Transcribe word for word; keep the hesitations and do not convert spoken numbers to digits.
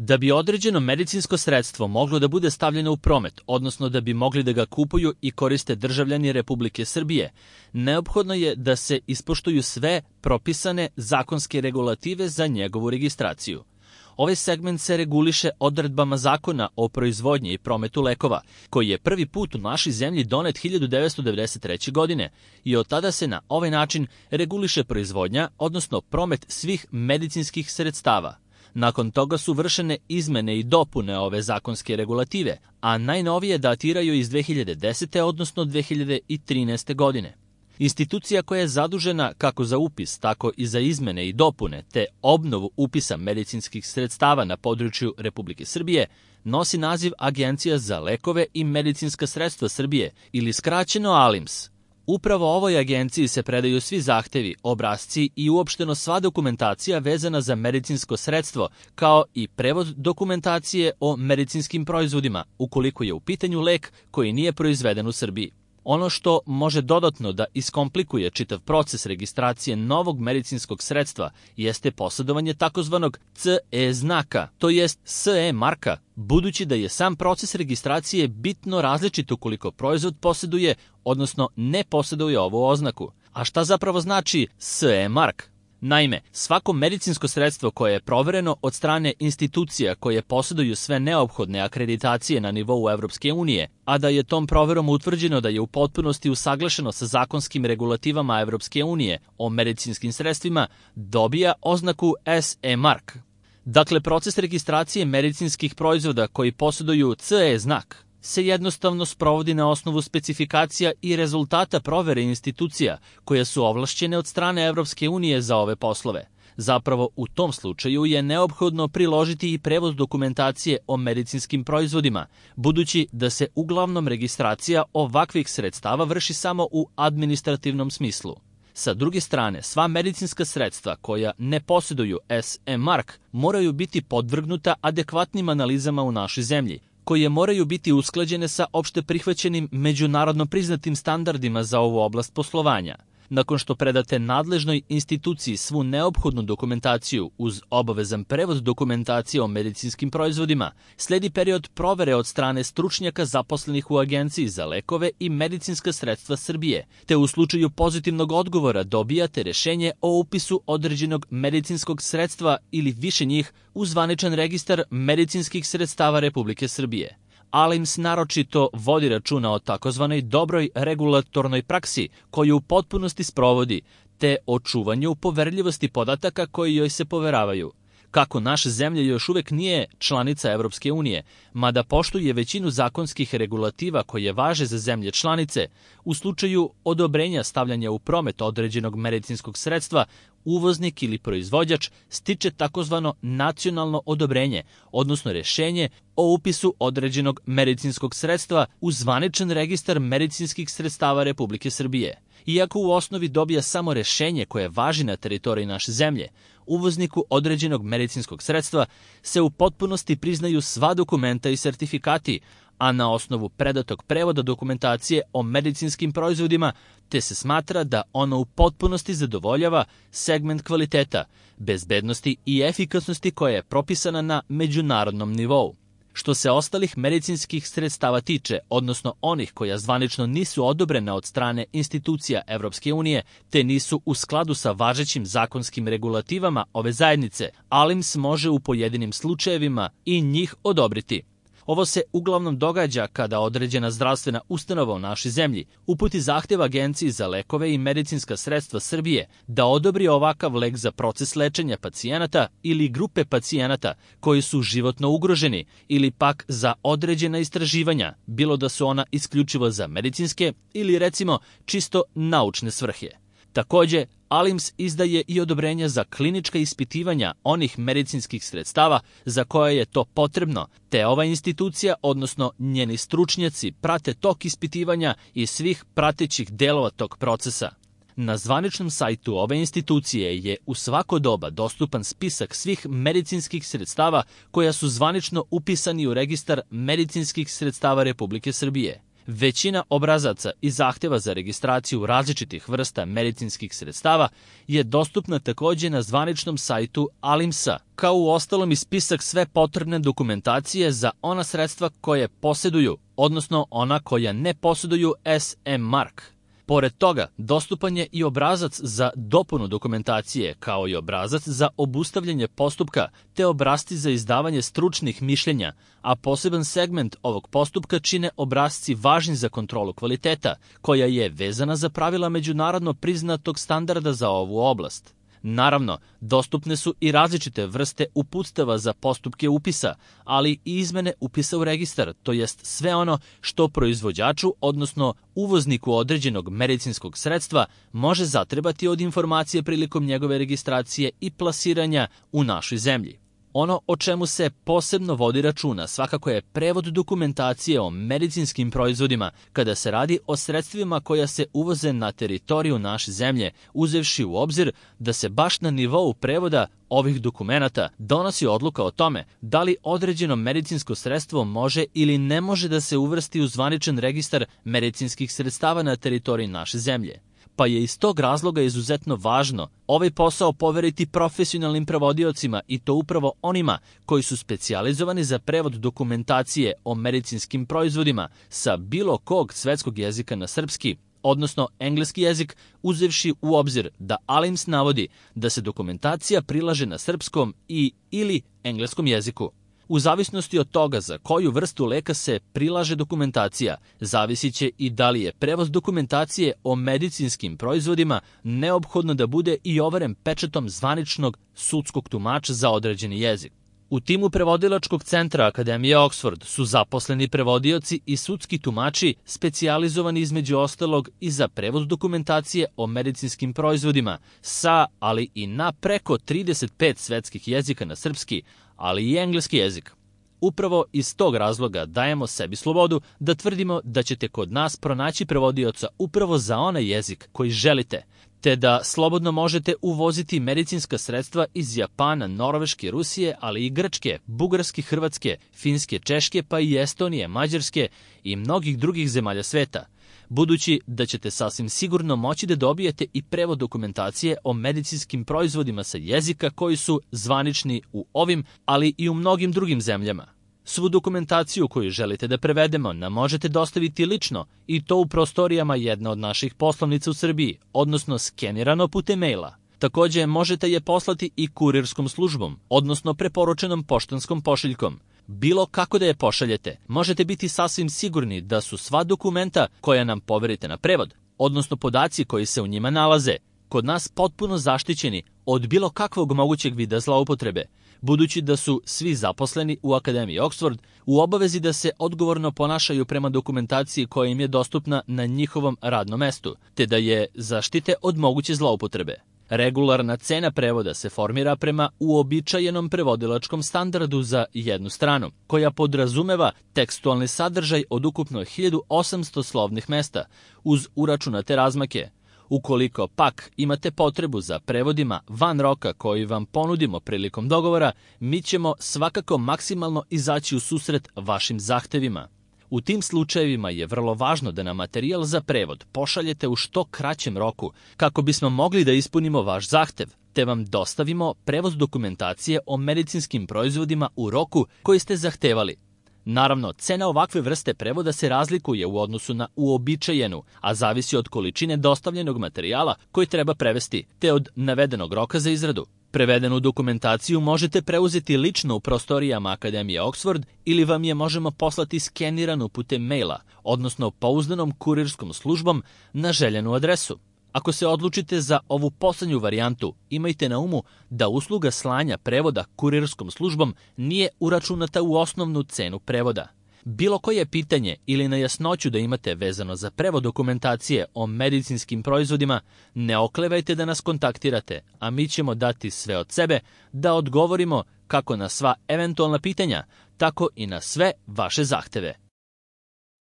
Da bi određeno medicinsko sredstvo moglo da bude stavljeno u promet, odnosno da bi mogli da ga kupuju i koriste državljani Republike Srbije, neophodno je da se ispoštuju sve propisane zakonske regulative za njegovu registraciju. Ovaj segment se reguliše odredbama Zakona o proizvodnji i prometu lekova, koji je prvi put u našoj zemlji donet hiljadu devetsto devedeset treće. godine i od tada se na ovaj način reguliše proizvodnja, odnosno promet svih medicinskih sredstava. Nakon toga su vršene izmene i dopune ove zakonske regulative, a najnovije datiraju iz dve hiljade desete. odnosno dve hiljade trinaeste. godine. Institucija koja je zadužena kako za upis, tako i za izmene i dopune te obnovu upisa medicinskih sredstava na području Republike Srbije nosi naziv Agencija za lekove i medicinska sredstva Srbije ili skraćeno A L I M S. Upravo ovoj agenciji se predaju svi zahtevi, obrasci i uopšteno sva dokumentacija vezana za medicinsko sredstvo, kao i prevod dokumentacije o medicinskim proizvodima, ukoliko je u pitanju lek koji nije proizveden u Srbiji. Ono što može dodatno da iskomplikuje čitav proces registracije novog medicinskog sredstva jeste posjedovanje takozvanog C E znaka, to jest S E marka, budući da je sam proces registracije bitno različit ukoliko proizvod posjeduje, odnosno ne posjeduje ovu oznaku. A šta zapravo znači S E mark? Naime, svako medicinsko sredstvo koje je provereno od strane institucija koje posjeduju sve neophodne akreditacije na nivou Evropske unije, a da je tom proverom utvrđeno da je u potpunosti usaglašeno sa zakonskim regulativama Evropske unije o medicinskim sredstvima, dobija oznaku S E mark. Dakle, proces registracije medicinskih proizvoda koji posjeduju C E znak se jednostavno sprovodi na osnovu specifikacija i rezultata provere institucija koje su ovlašćene od strane Evropske unije za ove poslove. Zapravo, u tom slučaju je neophodno priložiti i prevod dokumentacije o medicinskim proizvodima, budući da se uglavnom registracija ovakvih sredstava vrši samo u administrativnom smislu. Sa druge strane, sva medicinska sredstva koja ne posjeduju S E mark moraju biti podvrgnuta adekvatnim analizama u našoj zemlji, koje moraju biti usklađene sa opšte prihvaćenim međunarodno priznatim standardima za ovu oblast poslovanja. Nakon što predate nadležnoj instituciji svu neophodnu dokumentaciju uz obavezan prevod dokumentacije o medicinskim proizvodima, sledi period provere od strane stručnjaka zaposlenih u Agenciji za lekove i medicinska sredstva Srbije, te u slučaju pozitivnog odgovora dobijate rešenje o upisu određenog medicinskog sredstva ili više njih u zvaničan registar medicinskih sredstava Republike Srbije. A L I M S naročito vodi računa o takozvanoj dobroj regulatornoj praksi koju u potpunosti sprovodi, te o čuvanju poverljivosti podataka koji joj se poveravaju. Kako naša zemlja još uvek nije članica Evropske unije, mada poštuje većinu zakonskih regulativa koje važe za zemlje članice, u slučaju odobrenja stavljanja u promet određenog medicinskog sredstva, uvoznik ili proizvođač stiče takozvano nacionalno odobrenje, odnosno rešenje o upisu određenog medicinskog sredstva u zvaničan registar medicinskih sredstava Republike Srbije. Iako u osnovi dobija samo rešenje koje važi na teritoriji naše zemlje, uvozniku određenog medicinskog sredstva se u potpunosti priznaju sva dokumenta i sertifikati, a na osnovu predatog prevoda dokumentacije o medicinskim proizvodima, te se smatra da ono u potpunosti zadovoljava segment kvaliteta, bezbednosti i efikasnosti koja je propisana na međunarodnom nivou. Što se ostalih medicinskih sredstava tiče, odnosno onih koja zvanično nisu odobrena od strane institucija Evropske unije, te nisu u skladu sa važećim zakonskim regulativama ove zajednice, A L I M S može u pojedinim slučajevima i njih odobriti. Ovo se uglavnom događa kada određena zdravstvena ustanova u našoj zemlji uputi zahtev Agenciji za lekove i medicinska sredstva Srbije da odobri ovakav lek za proces lečenja pacijenata ili grupe pacijenata koji su životno ugroženi ili pak za određena istraživanja, bilo da su ona isključivo za medicinske ili recimo čisto naučne svrhe. Takođe, A L I M S izdaje i odobrenja za klinička ispitivanja onih medicinskih sredstava za koje je to potrebno, te ova institucija, odnosno njeni stručnjaci, prate tok ispitivanja i svih pratećih delova tog procesa. Na zvaničnom sajtu ove institucije je u svako doba dostupan spisak svih medicinskih sredstava koja su zvanično upisani u registar medicinskih sredstava Republike Srbije. Većina obrazaca i zahteva za registraciju različitih vrsta medicinskih sredstava je dostupna takođe na zvaničnom sajtu ALIMS-a, kao u ostalom i spisak sve potrebne dokumentacije za ona sredstva koje posjeduju, odnosno ona koja ne posjeduju S M mark. Pored toga, dostupan je i obrazac za dopunu dokumentacije, kao i obrazac za obustavljanje postupka, te obrasci za izdavanje stručnih mišljenja, a poseban segment ovog postupka čine obrasci važni za kontrolu kvaliteta, koja je vezana za pravila međunarodno priznatog standarda za ovu oblast. Naravno, dostupne su i različite vrste uputstava za postupke upisa, ali i izmene upisa u registar, to jest sve ono što proizvođaču, odnosno uvozniku određenog medicinskog sredstva, može zatrebati od informacije prilikom njegove registracije i plasiranja u našoj zemlji. Ono o čemu se posebno vodi računa svakako je prevod dokumentacije o medicinskim proizvodima kada se radi o sredstvima koja se uvoze na teritoriju naše zemlje, uzevši u obzir da se baš na nivou prevoda ovih dokumenata donosi odluka o tome da li određeno medicinsko sredstvo može ili ne može da se uvrsti u zvaničan registar medicinskih sredstava na teritoriji naše zemlje. Pa je iz tog razloga izuzetno važno ovaj posao poveriti profesionalnim prevodiocima i to upravo onima koji su specijalizovani za prevod dokumentacije o medicinskim proizvodima sa bilo kog svetskog jezika na srpski, odnosno engleski jezik, uzevši u obzir da ALIMS navodi da se dokumentacija prilaže na srpskom i ili engleskom jeziku. U zavisnosti od toga za koju vrstu leka se prilaže dokumentacija, zavisit će i da li je prevoz dokumentacije o medicinskim proizvodima neophodno da bude i overen pečatom zvaničnog sudskog tumača za određeni jezik. U timu prevodilačkog centra Akademije Oxford su zaposleni prevodioci i sudski tumači specijalizovani između ostalog i za prevod dokumentacije o medicinskim proizvodima sa, ali i na preko trideset pet svetskih jezika na srpski, ali i engleski jezik. Upravo iz tog razloga dajemo sebi slobodu da tvrdimo da ćete kod nas pronaći prevodioca upravo za onaj jezik koji želite, te da slobodno možete uvoziti medicinska sredstva iz Japana, Norveške, Rusije, ali i Grčke, Bugarske, Hrvatske, Finske, Češke, pa i Estonije, Mađarske i mnogih drugih zemalja sveta, budući da ćete sasvim sigurno moći da dobijete i prevod dokumentacije o medicinskim proizvodima sa jezika koji su zvanični u ovim, ali i u mnogim drugim zemljama. Svu dokumentaciju koju želite da prevedemo nam možete dostaviti lično i to u prostorijama jedne od naših poslovnica u Srbiji, odnosno skenirano putem maila. Takođe možete je poslati i kurirskom službom, odnosno preporučenom poštanskom pošiljkom. Bilo kako da je pošaljete, možete biti sasvim sigurni da su sva dokumenta koja nam poverite na prevod, odnosno podaci koji se u njima nalaze, kod nas potpuno zaštićeni od bilo kakvog mogućeg vida zloupotrebe, budući da su svi zaposleni u Akademiji Oxford u obavezi da se odgovorno ponašaju prema dokumentaciji koja im je dostupna na njihovom radnom mestu, te da je zaštite od moguće zloupotrebe. Regularna cena prevoda se formira prema uobičajenom prevodilačkom standardu za jednu stranu, koja podrazumeva tekstualni sadržaj od ukupno hiljadu osamsto slovnih mesta, uz uračunate razmake. Ukoliko pak imate potrebu za prevodima van roka koji vam ponudimo prilikom dogovora, mi ćemo svakako maksimalno izaći u susret vašim zahtevima. U tim slučajevima je vrlo važno da nam materijal za prevod pošaljete u što kraćem roku, kako bismo mogli da ispunimo vaš zahtev, te vam dostavimo prevoz dokumentacije o medicinskim proizvodima u roku koji ste zahtevali. Naravno, cena ovakve vrste prevoda se razlikuje u odnosu na uobičajenu, a zavisi od količine dostavljenog materijala koji treba prevesti, te od navedenog roka za izradu. Prevedenu dokumentaciju možete preuzeti lično u prostorijama Akademije Oxford ili vam je možemo poslati skeniranu putem maila, odnosno pouzdanom kurirskom službom na željenu adresu. Ako se odlučite za ovu poslednju varijantu, imajte na umu da usluga slanja prevoda kurirskom službom nije uračunata u osnovnu cenu prevoda. Bilo koje pitanje ili nejasnoću da imate vezano za prevod dokumentacije o medicinskim proizvodima, ne oklevajte da nas kontaktirate, a mi ćemo dati sve od sebe da odgovorimo kako na sva eventualna pitanja, tako i na sve vaše zahteve.